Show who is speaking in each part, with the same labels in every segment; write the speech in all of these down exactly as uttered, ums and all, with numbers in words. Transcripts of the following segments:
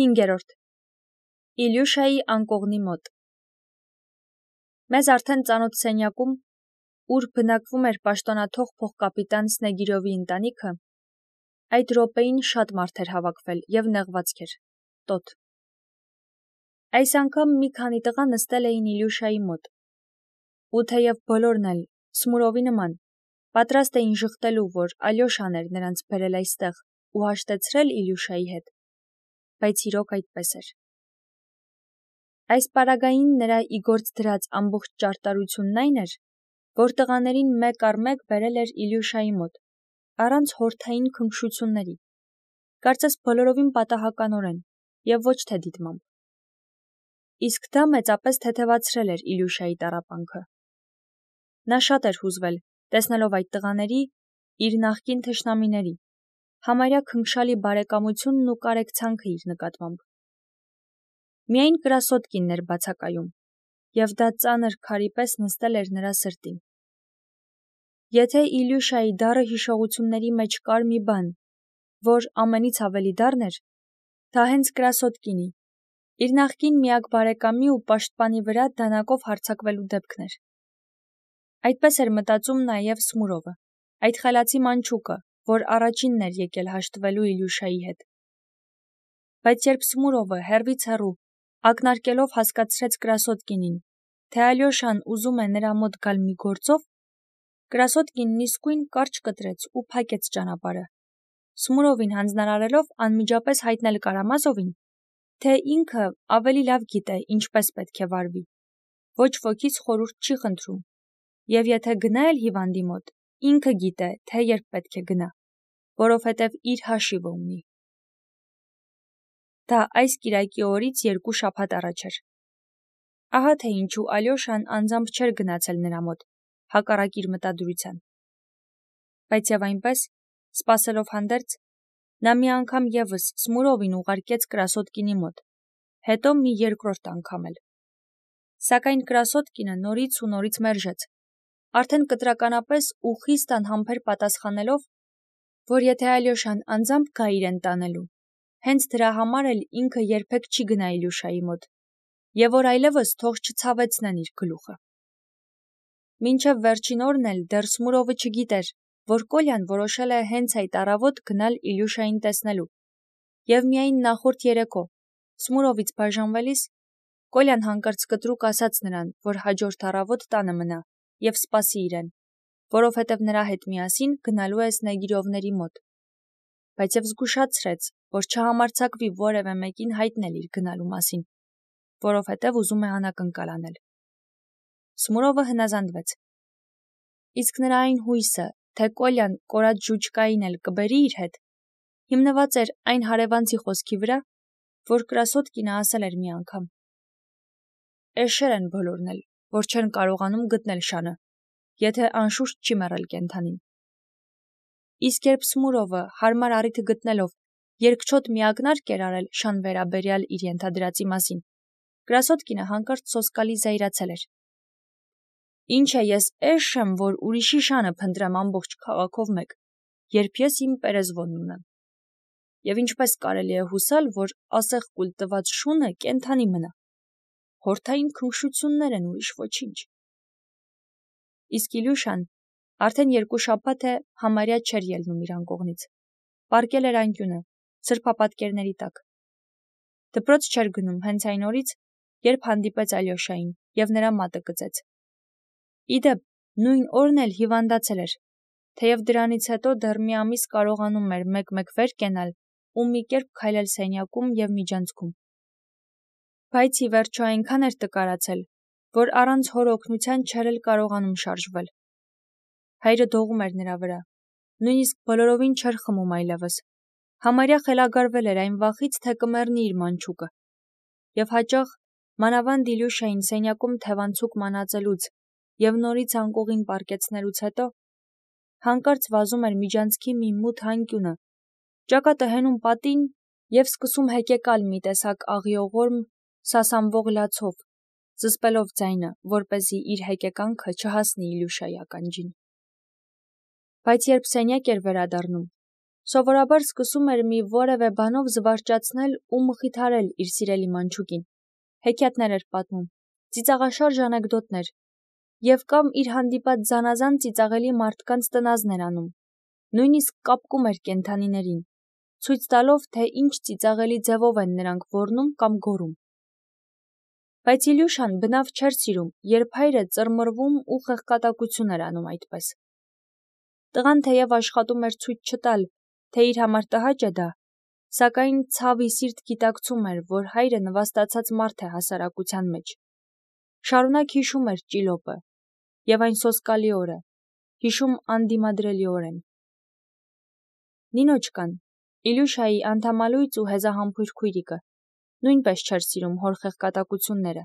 Speaker 1: Հինգերորդ. Իլյուշայի անկողնի մոտ։ Մեզ արդեն ծանոթ սենյակում, ուր բնակվում էր պաշտոնաթող փոխկապիտան Սնեգիրովի ընտանիքը, այդ րոպեին շատ մարդ էր հավաքվել և նեղվածք էր, տոտ։ Այս անգամ մի քանի տղա նստել էին Իլյուշայի մոտ, ու թեև բոլորն էլ, Սմուրովի նման, պատրաստ էին ժխտելու, որ Ալյոշան էր նրանց բերել այստեղ ու հաշտեցրել Իլյուշայի հետ, բայց իրոք այդպես էր։ Այս պարագային նրա ի գործ դրած ամբողջ ճարտարությունն այն էր, որ տղաներին մեկ առ մեկ բերել էր Իլյուշայի մոտ, առանց հորթային քնքշությունների, կարծես բոլորովին պատահականորեն և ոչ թե դիտմամբ։ Իսկ դա մեծապես թեթևացրել էր Իլյուշայի տառապանքը։ Նա շատ էր հուզվել, տեսնելով այդ տղաների, իր նախկին թշնամիների, համարյա քնքշալի բարեկամությունն ու կարեկցանքը իր նկատմամբ։ Միայն Կրասոտկինն էր բացակայում, և դա ծանր քարի պես նստել էր նրա սրտին։ Եթե Իլյուշայի դառը հիշողությունների մեջ կար մի բան, որ ամենից ավելի դառն էր, դա հենց Կրասոտկինի, իր նախկին միակ բարեկամի ու պաշտպանի վրա դանակով հարձակվելու դեպքն էր։ Այդպես էր մտածում նաև Սմուրովը, այդ խելացի մանչուկը, որ առաջինն էր եկել հաշտվելու Իլյուշայի հետ։ Բայց երբ Սմուրովը հեռվից հեռու, ակնարկելով հասկացրեց Կրասոտկինին, թե Ալյոշան ուզում է նրա մոտ գալ մի գործով, Կրասոտկինն իսկույն կարճ կտրեց ու փակեց ճանապարհը, Սմուրովին հանձնարարելով անմիջապես հայտնել Կարամազովին, թե ինքը ավելի լավ գիտե ինչպես պետք է վարվի, ոչ ոքից խորհուրդ չի խնդրում, և եթե գնա էլ հիվանդի մոտ, ինքը գիտե, թե երբ պետք է գնա, որովհետև իր հաշիվը ունի։ Դա այս կիրակի օրից երկու շաբաթ առաջ էր։ Ահա թե ինչու Ալյոշան անձամբ չէր գնացել նրա մոտ, հակառակ իր մտադրության։ Բայց և այնպես, սպասելով հանդերձ, նա մի անգամ ևս Սմուրովին ուղարկեց Կրասոտկինի մոտ, հետո մի երկրորդ անգամ էլ։ Սակայն Կրասոտկինը նորից ու նորից մերժեց, արդեն կտրականապես ու խիստ անհամբեր պատասխանելով, որ եթե Ալյոշան անձամբ գա իրեն տանելու, հենց դրա համար էլ ինքը երբեք չի գնա Իլյուշայի մոտ, և որ այլևս թող չցավեցնեն իր գլուխը։ Մինչև վերջին օրն էլ դեռ Սմուրովը չգիտեր, որ Կոլյան որոշել է հենց այդ առավոտ գնալ Իլյուշային տեսնելու, և միայն նախորդ երեկո, Սմուրովից բաժանվելիս, Կոլյան հանկարծ կտրուկ ասաց նրան, որ հաջորդ առավոտ տանը մնա և սպասի իրեն, որովհետև նրա հետ միասին գնալու է Սնեգիրովների մոտ, բայց և զգուշացրեց, որ չհամարձակվի որևէ մեկին հայտնել իր գնալու մասին, որովհետև ուզում է անակնկալ անել։ Սմուրովը հնազանդվեց։ Իսկ նրա այն հույսը, թե Կոլյան կորած ժուջկային էլ կբերի իր հետ, հիմնված էր այն հարևանցի խոսքի վրա, որ Կրասոտկինը ասել էր մի անգամ. «Էշեր են բոլորն էլ, որ չեն կարողանում գտնել շանը, եթե անշուշտ չի մեռել կենդանին»։ Իսկ երբ Սմուրովը հարմար առիթը գտնելով երկչոտ մի ակնարկ էր արել շան վերաբերյալ իր ենթադրածի մասին, Կրասոտկինը հանկարծ սոսկալի զայրացել էր։ «Ինչ է, ես էշ եմ, որ ուրիշի շանը փնտրեմ ամբողջ քաղաքով մեկ, երբ ես իմ Պերեզվոնն ունեմ։ Եվ ինչպես կարելի է հուսալ, որ ասեղ կուլ տված շունը կենդանի մնա։ Հորթային քնքշություններ են, ուրիշ ոչինչ»։ Իսկ Իլյուշան արդեն երկու շաբաթ է համարյա չէր ելնում իր անկողնից, պառկել էր անկյունը, սրբապատկերների տակ։ Դպրոց չէր գնում հենց այն օրից, երբ հանդիպեց Ալյոշային և նրա մատը կծեց։ Ի դեպ, նույն օրն էլ հիվանդացել էր, թեև դրանից հետո դեռ մի ամիս կարողանում էր մեկ-մեկ վեր կենալ ու մի կերպ քայլել սենյակում և միջանցքում։ Բայց ի վերջո այնքան էր տկարացել, որ առանց հոր օգնության չէր էլ կարողանում շարժվել։ Հայրը դողում էր նրա վրա, նույնիսկ բոլորովին չէր խմում այլևս, համարյա խելագարվել էր այն վախից, թե կմեռնի իր մանչուկը, և հաճախ, մանավանդ Իլյուշային սենյակում թևանցուկ մանածելուց և նորից անկողին պառկեցնելուց հետո, հանկարծ վազում էր միջանցքի մի մութ անկյունը, ճակատը հենում պատին և սկսում հեկեկալ մի տեսակ աղիողորմ, սասանվող լացով, զսպելով ձայնը, որպեսզի իր հեկեկանքը չհասնի Իլյուշայի ականջին։ Բայց երբ սենյակ էր վերադառնում, Սովորաբար սկսում էր մի որևէ բանով զվարճացնել ու մխիթարել իր սիրելի մանչուկին, հեքիաթներ էր պատմում, ծիծաղաշարժ անեկդոտներ, և կամ իր հանդիպած զանազան ծիծաղելի մարդկանց տնազն էր անում, նույնիսկ կապկում էր կենդանիներին, ցույց տալով, թե ինչ ծիծաղելի ձևով են նրանք ոռնում կամ գոռում։ Բայց Իլյուշան բնավ չէր սիրում, երբ հայրը ծռմռվում ու խեղկատակություն էր անում այդպես։ Տղան թեև աշխատում էր ցույց չտալ, թե իր համար տհաճ է դա, սակայն ցավի սիրտ գիտակցում էր, որ հայրը նվաստացած մարդ է հասարակության մեջ։ Շարունակ հիշում էր ճիլոպը, և այն սոսկալի օրը, հիշում անդիմադրելիորեն։ Նինոչկան, Իլյուշայի անդամալույծ ու հեզահամբույր քույրիկը, նույնպես չէր սիրում հոր խեղկատակությունները,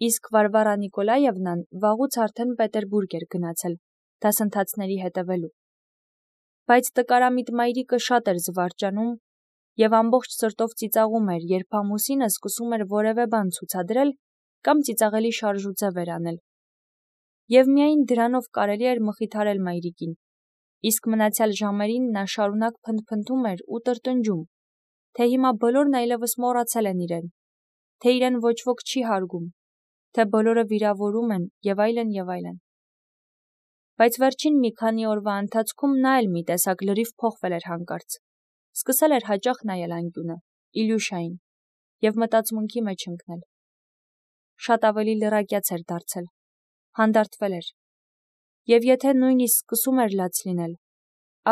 Speaker 1: իսկ Վարվարա Նիկոլաևնան վաղուց արդեն Պետերբուրգ էր գնացել, դասընթացների հետևելու։ Բայց տկարամիտ մայրիկը շատ էր զվարճանում և ամբողջ սրտով ծիծաղում էր, երբ ամուսինը սկսում էր որևէ բան ցուցադրել կամ ծիծաղելի շարժուձև էր անել։ Եվ միայն դրանով կարելի էր մխիթարել մայրիկին, իսկ մնացյալ ժամերին նա շարունակ փնթփնթում էր ու տրտնջում, թե հիմա բոլորն այլևս մոռացել են իրեն, թե իրեն ոչ ոք չի հարգում, թե բոլորը վիրավորում են և այլն և այլն։ Բայց վերջին մի քանի օրվա ընթացքում նա էլ մի տեսակ լրիվ փոխվել էր հանկարծ, սկսել էր հաճախ նայել անկյունը, Իլյուշային, և մտածմունքի մեջ ընկնել։ Շատ ավելի լրակյաց էր դարձել, հանդարտվել էր, և եթե նույնիսկ սկսում էր լաց լինել,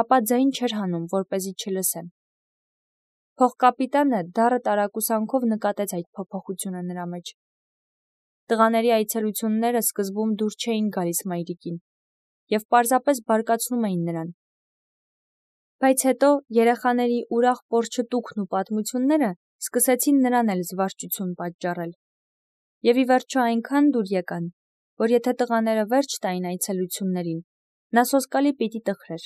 Speaker 1: ապա ձայն չէր հանում, որպեսզի չլսեն։ Փողկապիտանը դառը տարակուսանքով նկատեց այդ փոփոխությունը նրա մեջ։ Տղաների այցելությունները սկզբում դուր չէին գալիս մայրիկին և պարզապես բարկացնում էին նրան։ Բայց հետո երեխաների ուրախ պոռչտուքն ու պատմությունները սկսեցին նրան էլ զվարճություն պատճառել։ Եվ ի վերջո այնքան դուր եկան, որ եթե տղաները վերջ տային այցելություններին, նա սոսկալի պիտի տխրեր։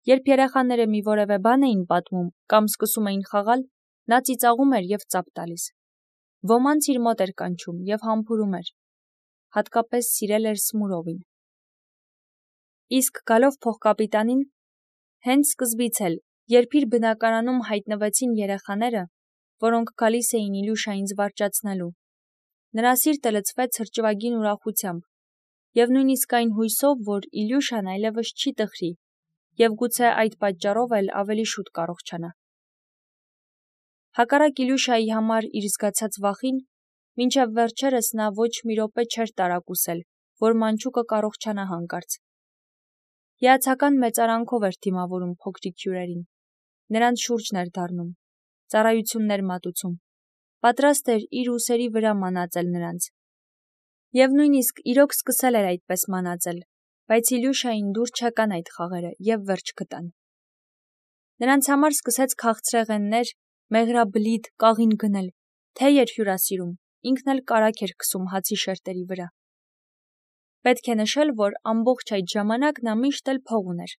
Speaker 1: Երբ երեխաները մի որևէ բան էին պատմում կամ սկսում էին խաղալ, նա ծիծաղում էր և ծափ տալիս։ Ոմանց իր մոտ էր կանչում և համբուրում էր, հատկապես սիրել էր Սմուրովին։ Իսկ գալով փողկապիտանին, հենց սկզբից էլ, երբ իր բնակարանում հայտնվեցին երեխաները, որոնք գալիս էին Իլյուշային զվարճացնելու, նրա սիրտը լցվեց հրճվագին ուրախությամբ և նույնիսկ այն հույսով, որ Իլյուշան այլևս չի տխրի և գուցե այդ պատճառով էլ ավելի շուտ կառողջանա։ Հակառակ Իլյուշայի համար իր զգացած վախին, մինչև վերջերս նա ոչ մի րոպե չէր տարակուսել, որ մանչուկը կառողջանա հանկարծ։ Հիացական մեծարանքով էր դիմավորում փոքրիկ հյուրերին, նրանց շուրջն էր դառնում, ծառայություններ մատուցում, պատրաստ էր իր ուսերի վրա մանածել նրանց։ Եվ նույնիսկ իրոք սկսել էր այդպես մանածել, բայց Իլյուշային դուր չեկան այդ խաղերը և վերջ գտան։ Նրանց համար սկսեց քաղցրեղեններ, մեղրաբլիթ, կաղին գնել, թեյ էր հյուրասիրում, ինքն էլ կարագ էր քսում հացի շերտերի վրա։ Պետք է նշել, որ ամբողջ այդ ժամանակ նա միշտ էլ փող ուներ։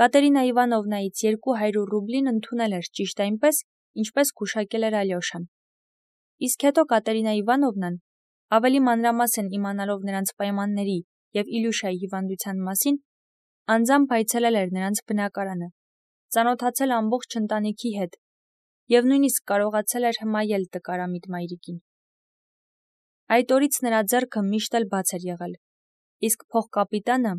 Speaker 1: Կատերինա Իվանովնայից երկու հարյուր ռուբլին ընդունել էր ճիշտ այնպես, ինչպես գուշակել էր Ալյոշան։ Իսկ հետո Կատերինա Իվանովնան, ավելի մանրամասն իմանալով նրանց պայմանների և Իլյուշայի հիվանդության մասին, անձամբ այցելել էր նրանց բնակարանը, ծանոթացել ամբողջ ընտանիքի հետ և նույնիսկ կարողացել էր հմայել տկարամիտ մայրիկին։ Այդ օրից նրա ձեռքը միշտ էլ բաց էր եղել, իսկ փողկապիտանը,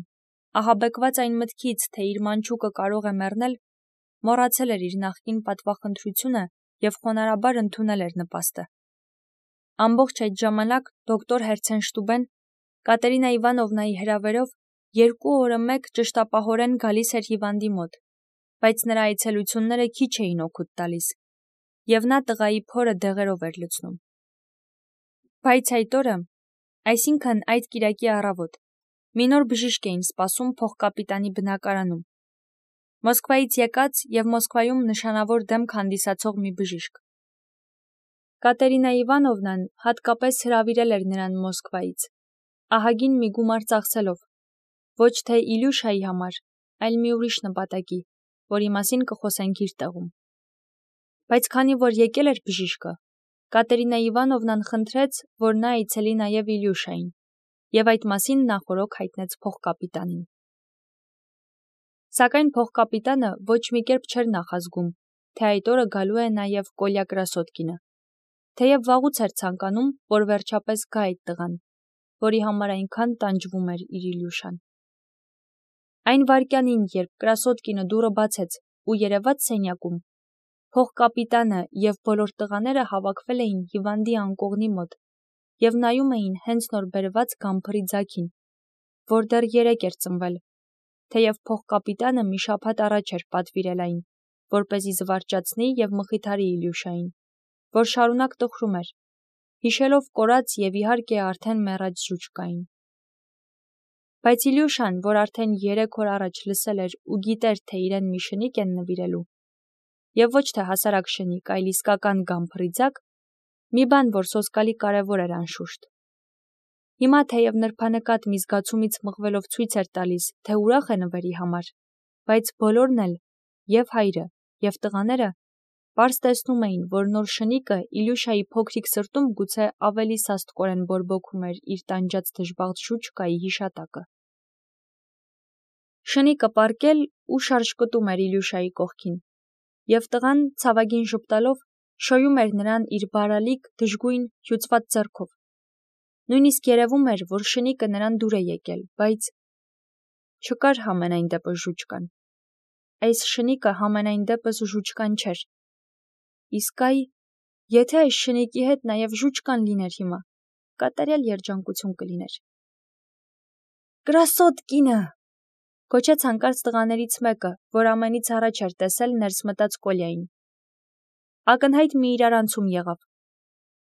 Speaker 1: ահաբեկված այն մտքից, թե իր մանչուկը կարող է մեռնել, մոռացել էր իր նախկին պատվախնդրությունը և խոնարհաբար ընդունել էր նպաստը։ Ամբողջ այդ ժամանակ դոկտոր Հերցենշտուբեն Կատերինա Իվանովնայի հրավերով երկու օրը մեկ ճշտապահորեն գալիս էր հիվանդի մոտ, բայց նրա այցելությունները քիչ էին օգուտ տալիս, և նա տղայի փորը դեղերով էր լցնում։ Բայց այդ օրը, այսինքն այդ կիրակի առավոտ, մի նոր բժիշկ էին սպասում փողկապիտանի բնակարանում։ Մոսկվայից եկած և Մոսկվայում նշանավոր դեմք հանդիսացող մի բժիշկ։ Կատերինա Իվանովնան հատկապես հրավիրել էր նրան Մոսկվայից, ահագին մի գումար ծախսելով, ոչ թե Իլյուշայի համար, այլ մի ուրիշ նպատակի, որի մասին կխոսենք իր տեղում։ Բայց քանի որ եկել էր բժիշկը, Կատերինա Իվանովնան խնդրեց, որ նա այցելի նաև Իլյուշային, և այդ մասին նախօրոք հայտնեց փողկապիտանին։ Սակայն փոխկապիտանը ոչ մի կերպ չէր նախազգում, թե այդ օրը գալու է նաև Կոլյա Կրասոդկինը, թեև վաղուց էր ցանկանում, որ վերջապես գա այդ տղան, որի համար այնքան տանջվում էր իր Իլյուշան։ Այն վայրկյանին, երբ Կրասոդկինը դուռը բացեց ու երևաց սենյակում, փոխկապիտանը և բոլոր տղաները հավաքվել էին հիվանդի անկողնի մոտ և նայում էին հենց նոր բերված գամփրի ձագին, որ դեռ երեկ էր ծնվել, թեև փոխկապիտանը մի շաբաթ առաջ էր պատվիրել այն, որպեսզի զվարճացնի և մխիթարի Իլյուշային, որ շարունակ տխրում էր, հիշելով կորած և իհարկե արդեն մեռած ժուջկային։ Բայց Իլյուշան, որ արդեն երեք օր առաջ լսել էր ու գիտեր, թե իրեն մի շնիկ են նվիրելու, և ոչ թե հասարակ շնիկ, այլ իսկական գամփրի ձագ, մի բան, որ սոսկալի կարևոր էր անշուշտ։ Հիմա թեև նրբանկատ մի զգացումից մղվելով ցույց էր տալիս, թե ուրախ է նվերի համար, բայց բոլորն էլ, և հայրը, և տղաները, պարզ տեսնում էին, որ նոր շնիկը Իլյուշայի փոքրիկ սրտում գուցե ավելի սաստկորեն բորբոքում էր իր տանջած դժբախտ ժուջկայի հիշատակը։ Շնիկը պառկել ու շարժկտում էր Իլյուշայի կողքին, և տղան, ցավագին ժպտալով, շոյում էր նրան իր բարալիկ, դժգույն, հյուծված ձեռքով։ Նույնիսկ երևում էր, որ շնիկը նրան դուր է եկել, բայց չկար համենայն դեպս ժուջկան։ Այս շնիկը համենայն դեպս ժուջկան չէր։ Իսկ այ, եթե այս շնիկի հետ նաև ժուջկան լիներ հիմա, կատարյալ երջանկություն կլիներ։ Կրասոդկինը, գոչեց հանկարծ տղաներից մեկը, որ ամենից առաջ էր տեսել ներս մտած Կոլյային։ Ակնհայտ մի իրարանցում եղավ։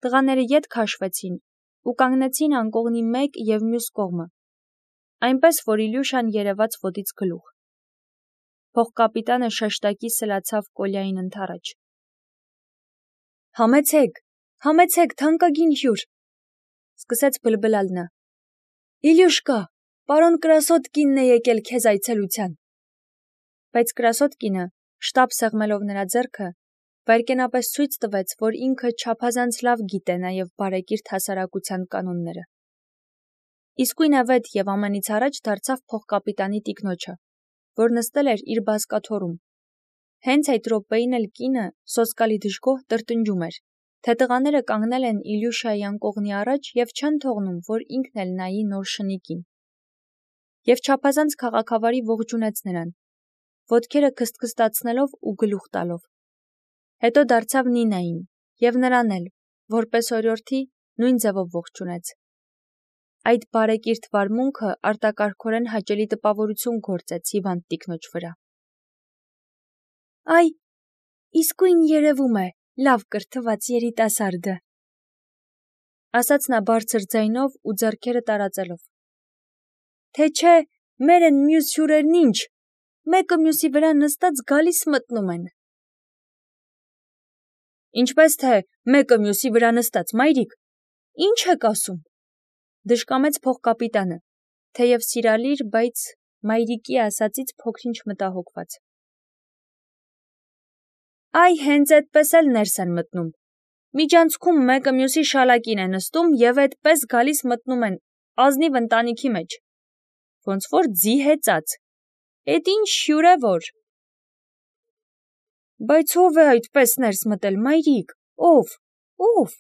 Speaker 1: Տղաները ետ քաշվեցին ու կանգնեցին անկողնի մեկ և մյուս կողմը, այնպես, որ Իլյուշան երևաց ոտից գլուխ։ Փոխկապիտանը շեշտակի սլացավ Կոլյային ընդառաջ։ Համեցեք, համեցեք, թանկագին հյուր, սկսեց բլբլալ նա։ Իլյուշկա, պարոն Կրասոդկինն է եկել քեզ այցելության։ Բայց Կրասոդկինը, շտապ սեղմելով նրա ձեռքը, վայրկենապես ցույց տվեց, որ ինքը չափազանց լավ գիտե նաև բարեկիրթ հասարակության կանոնները։ Իսկույն ավետ և ամենից առաջ դարձավ փոխկապիտանի տիկնոջը, որ նստել էր իր բազկաթոռում։ Հենց այդ րոպեին էլ կինը, սոսկալի դժգոհ, տրտնջում էր, թե տղաները կանգնել են Իլյուշայի անկողնի առաջ և չեն թողնում, որ ինքն էլ նայի նոր շնիկին։ Եվ չափազանց քաղաքավարի ողջունեց նրան, ոտքերը քստքստացնելով ու գլուխ տալով։ Հետո դարձավ Նինային, և նրան էլ, որպես օրիորդի, նույն ձևով ողջունեց։ Այդ բարեկիրթ վարմունքը արտակարգորեն հաճելի տպավորություն գործեց հիվանդ տիկնոջ վրա։ Այ, իսկույն երևում է, լավ կրթված երիտասարդը, ասաց նա բարձր ձայնով ու ձեռքերը տարածելով։ Թե չէ, մեր են մյուս հյուրերն ինչ, մեկը մյուսի վրա նստած գալիս մտնում են։ Ինչպես թե մեկը մյուսի վրա նստած, մայրիկ, ինչ եք ասում, դժկամեց փոխկապիտանը, թեև սիրալիր, բայց մայրիկի ասածից փոքր-ինչ մտահոգված։ Այ հենց այդպես էլ ներս են մտնում։ Միջանցքում մեկը մյուսի շալակին է նստում և այդպես գալիս մտնում են ազնիվ ընտանիքի մեջ։ Ոնց որ ձի հեծած։ Էդ ինչ հյուր է որ։ Բայց ով է այդպես ներս մտել, մայրիկ, ով, ով։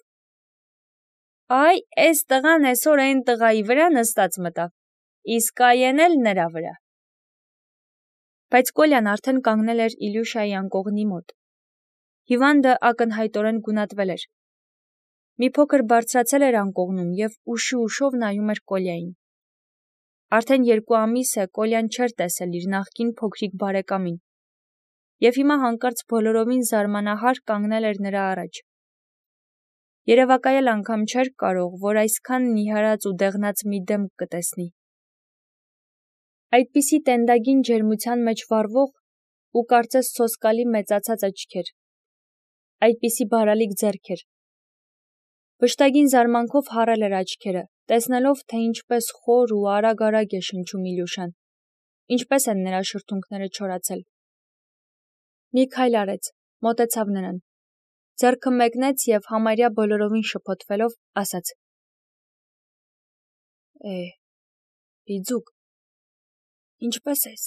Speaker 1: Այ, էս տղան էսօր էն տղայի վրա նստած մտավ, իսկ այն էլ նրա վրա։ Բայց Կոլյան արդեն կանգնել էր Իլյուշայի անկողնի մոտ։ Հիվանդը ակնհայտորեն գունատվել էր։ Մի փոքր բարձրացել էր անկողնում և ուշի ուշով նայում էր Կոլյային։ Արդեն երկու ամիս է Կոլյան չէր տեսել իր նախկին փոքրիկ բարեկամին, և հիմա հանկարծ բոլորովին զարմանահար կանգնել էր նրա առաջ։ Երևակայել անգամ չէր կարող, որ այսքան նիհարած ու դեղնած մի դեմք կտեսնի։ Այդպիսի տենդագին ջերմության մեջ վառվող ու կարծես սոսկալի մեծացած աչքեր, այդպիսի բարալիկ ձեռքեր։ Վշտագին զարմանքով հառել էր աչքերը, տեսնելով, թե ինչպես խոր ու արագ-արագ է շնչում Իլյուշան, ինչպես են նրա շրթունքները չորացել։ Մի քայլ արեց, մոտեցավ նրան, ձեռքը մեկնեց և համարյա բոլորովին շփոթվելով ասաց. Է, Բիձուկ, ինչպե՞ս ես։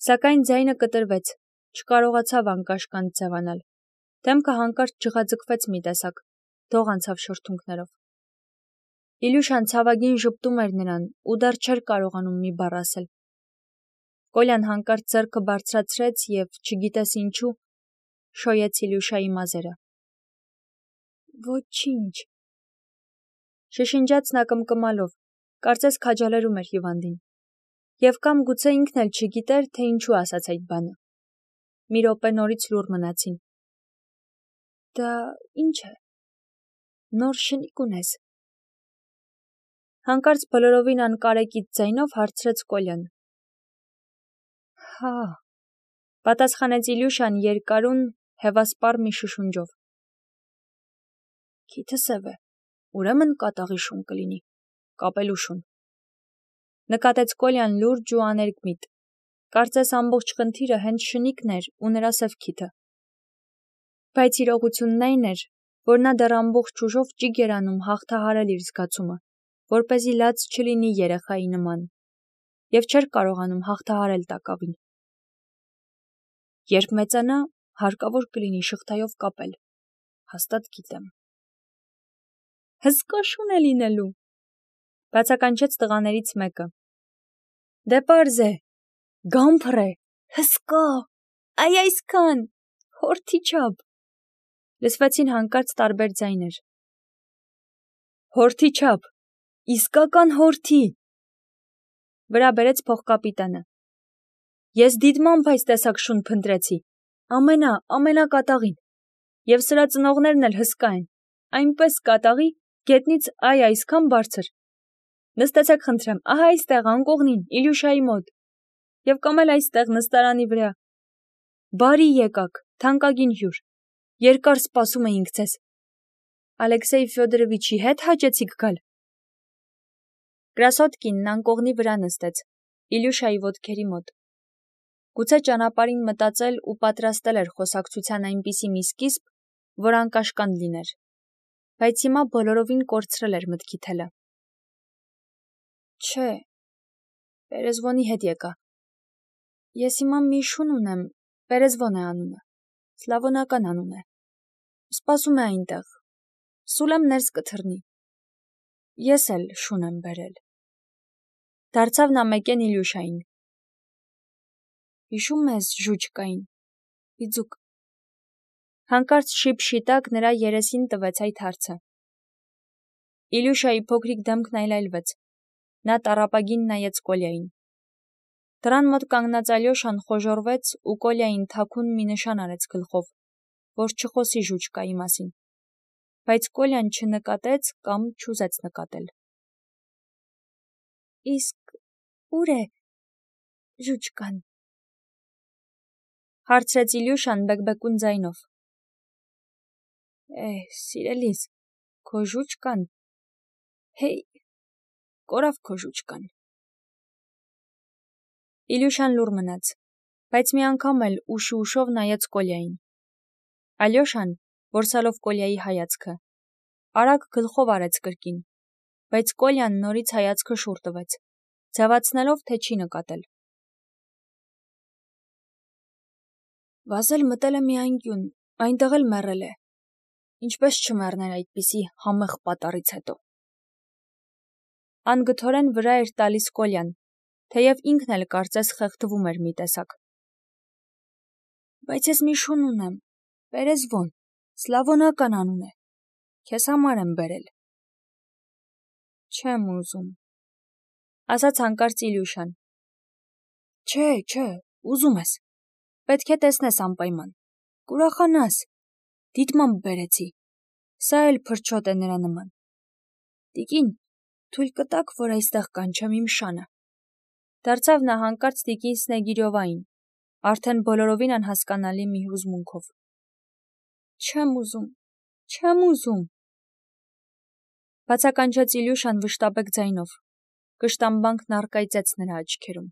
Speaker 1: Սակայն ձայնը կտրվեց, չկարողացավ անկաշկանդ ձևանալ։ Դեմքը հանկարծ ջղաձգվեց մի տեսակ, դող անցավ շրթունքներով։ Իլյուշան ցավագին ժպտում էր նրան ու դեռ չէր կարողանում մի բառ ասել։ Կոլյան հանկարծ ձեռքը բարձրացրեց և, չգիտես ինչու, շոյեց Իլյուշայի մազերը։ Ոչինչ, շշնջաց նա կմկմալով, կարծես քաջալերում էր հիվանդին։ Եվ կամ գուցե ինքն էլ չգիտեր, թե ինչու ասաց այդ բանը։ Մի րոպե նորից լուռ մնացին։ Դա ինչ է։ Նոր շնիկ ունես։ Հանկարծ բոլորովին անկարեկիտ ձայնով հարցրեց Կոլյան։ Հա, պատասխանեց Իլյուշան երկարուն, հևասպառ մի շշունջով։ Քիթը սև է, ուրեմն կատաղի շուն կլինի, կապելու շուն։ Նկատեց Կոլյան լուրջ ու աներկմիտ, կարծես ամբողջ խնդիրը հենց շնիկն էր ու նրա սև քիթը։ Բայց իրողությունն այն էր, որ նա դեռ ամբողջ ուժով ճիգ էր անում հաղթահարել իր զգացումը, որպեսզի լաց չլինի երեխայի նման, և չէր կարողանում հաղթահարել տակավին։ Երբ մեծանա, հարկավոր կլինի շղթայով կապել, հաստատ գիտեմ։ Հսկա շուն է լինելու, բացականչեց տղաներից մեկը։ Դե պարզ է, գամփր է, հսկա, այ այսքան, հորթի չափ։ Լսվեցին հանկարծ տարբեր ձայներ։ Հորթի չափ, իսկական հորթի։ Վրա բերեց փողկապիտանը։ Ես դիտմամբ այս տեսակ շուն փնտրեցի, ամենա, ամենակատաղին, և սրա ծնողներն էլ հսկա են, այնպես կատաղի, գետնից այ այսքան բարձր։ Նստեցեք խնդրեմ, ահա այստեղ անկողնին, Իլյուշայի մոտ, և կամ էլ այստեղ նստարանի վրա։ Բարի եկաք, թանկագին հյուր, երկար սպասում էինք ձեզ։ Ալեքսեյ Ֆյոդորովիչի հետ հաճեցիք գալ։ Կրասոտկինն անկողնի վրա նստեց, Իլյուշայի ոտքերի մոտ։ Գուցե ճանապարհին մտածել ու պատրաստել էր խոսակցության այնպիսի մի սկիզբ, որ անկաշկանդ լիներ, բայց հիմա բոլորովին կորցրել էր մտքի թելը։ Չէ, Պերեզվոնի հետ եկա։ Ես հիմա մի շուն ունեմ, Պերեզվոն է անունը, սլավոնական անուն է։ Սպասում է այնտեղ, Սուլեմ ներս կթռնի։ Ես էլ շուն եմ բերել։ Դարձավ նա մեկեն Իլյուշային։ Հիշում ես ժուչկային, իձուկ։ Հանկարծ շիպշիտակ նրա երեսին տվեց այդ հարցը։ Իլյուշայի փոքրիկ դեմքն այլայլվեց։ Նա տառապագին նայեց Կոլյային։ Դռան մոտ կանգնած Ալյոշան խոժոռվեց ու Կոլյային թաքուն մի նշան արեց գլխով, որ չխոսի ժուչկայի մասին, բայց Կոլյան չնկատեց կամ չուզեց նկատել։ Իսկ ուր է ժուչկան։ Հարցրեց Իլյուշան բեկբեկուն ձայնով։ Է, սիրելիս, քո ժուչկան։ Հեյ, կորավ քո ժուչկան։ Իլյուշան լուռ մնաց, բայց մի անգամ էլ ուշի ուշով նայեց Կոլյային։ Ալյոշան, որսալով Կոլյայի հայացքը, արագ գլխով արեց կրկին, բայց Կոլյան նորից հայացքը շուռ տվեց, ձևացնելով, թե չի նկատել։ Վազել մտել է մի անկյուն, այնտեղ էլ մեռել է, ինչպես չմեռներ այդպիսի համեղ պատառից հետո։ Անգթորեն վրա էր տալիս Կոլյան, թեև ինքն էլ կարծես խեղդվում էր մի տեսակ։ Բայց ես մի շուն ունեմ, Պերեզվոն, սլավոնական անուն է, քեզ համար եմ բերել։ Չեմ ուզում, ասաց հանկարծ Իլյուշան։ Չէ, չէ, ուզում ես, պետք է տեսնես անպայման, կուրախանաս, դիտմամբ բերեցի, սա էլ փրչոտ է նրա նման։ Տիկին, թույլ կտաք, որ այստեղ կանչեմ իմ շանը։ Դարձավ նա հանկարծ տիկին Սնեգիրովային, արդեն բոլորովին անհասկանալի մի հուզմունքով։ Չեմ ուզում, չեմ ուզում։ Բացականչեց Իլյուշան վշտաբեկ ձայնով, կշտամբանքն առկայծեց նրա աչքերում։